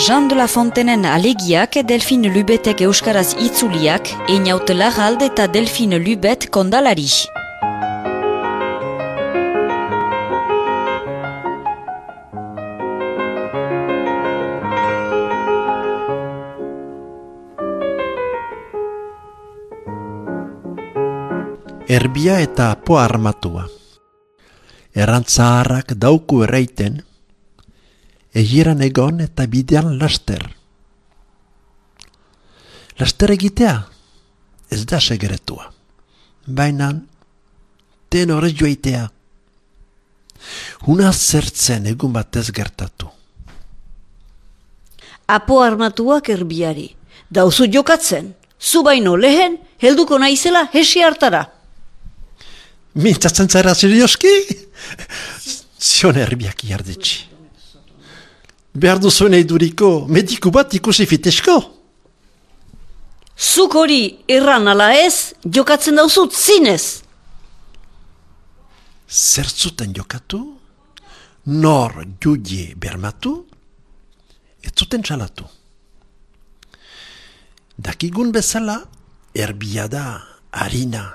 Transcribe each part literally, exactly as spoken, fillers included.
Jean de la Fontenen alegiak Delphine Lubetek euskaraz itzuliak, Einaut Larralde eta Delphine Lubet kondalari. Erbia eta apoa armatua. Errantzaharrak dauku erraiten, egieran egon eta bidean laster. Laster egitea, ez da segeretua. Baina, ten horrez joaitea. Una zertzen egun batez gertatu. Apo armatuak erbiari. Dauzu jokatzen, zu baino lehen, helduko naizela hesi hartara. Mintzatzen zara serioski? Zion erbiak iardetxi. Behar duzuen eiduriko mediku bat ikusi fitesko? Zuk hori erran ala ez, jokatzen dauzut zinez. Zertzuten jokatu? Nor julie bermatu? Ez zuten txalatu. Dakigun bezala, erbia da, harina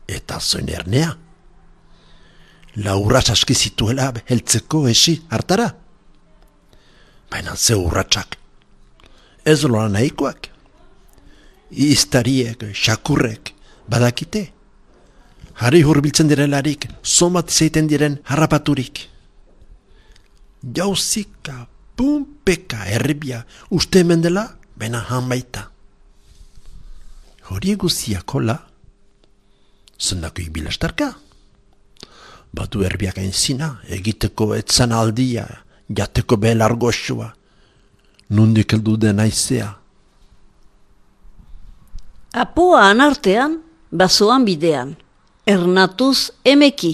eta zoin ernea. Laurratz aski zituela heltzeko esi hartara. Baina ze urratsak. Ez lola nahikoak. Iztariek, xakurrek, badakite. Harri hurbiltzen direlarik, somat izaiten diren harrapaturik. Jauzika, pumpeka, erbia, uste hemen dela, baina hanbaita. Hori guziak hola, zendako ibilastarka. Batu erbiak aintzina, egiteko etzan aldia, jateko belar goxua, nundik heldu den aizea. Apoa anartean, basoan bidean, ernatuz emeki,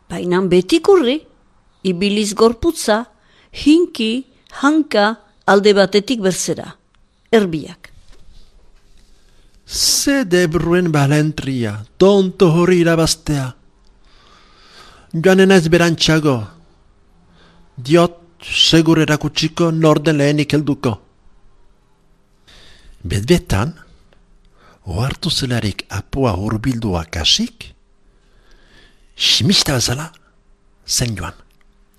bainan betikurri, ibiliz gorputza, hinki, hanka, alde batetik berzera, erbiak. Ze debruen balentria, tonto hori irabaztea. Joanen ez berantxago. Diot, segur erakutsiko norden lehenik helduko. Bedbetan, ohartu zelarik apoa hurbildua kasik, simista bezala zen joan,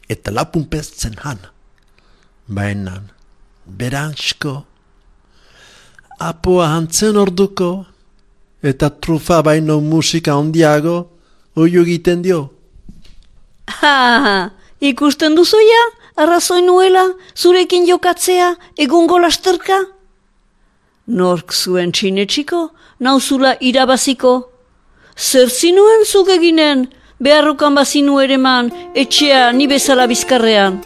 eta lapunpez zen han. Baina, berantxko, apoa hantzen orduko, eta trufa baino musika ondiago, oio egiten dio. Ha, ikusten duzuia, arrazoi nuela, zurekin jokatzea, egungo lasterka? Nork zuen txinetxiko, nauzula irabaziko. Zer zinuen zugeginen, beharrukan bazinu ere man, etxea ni bezala bizkarrean.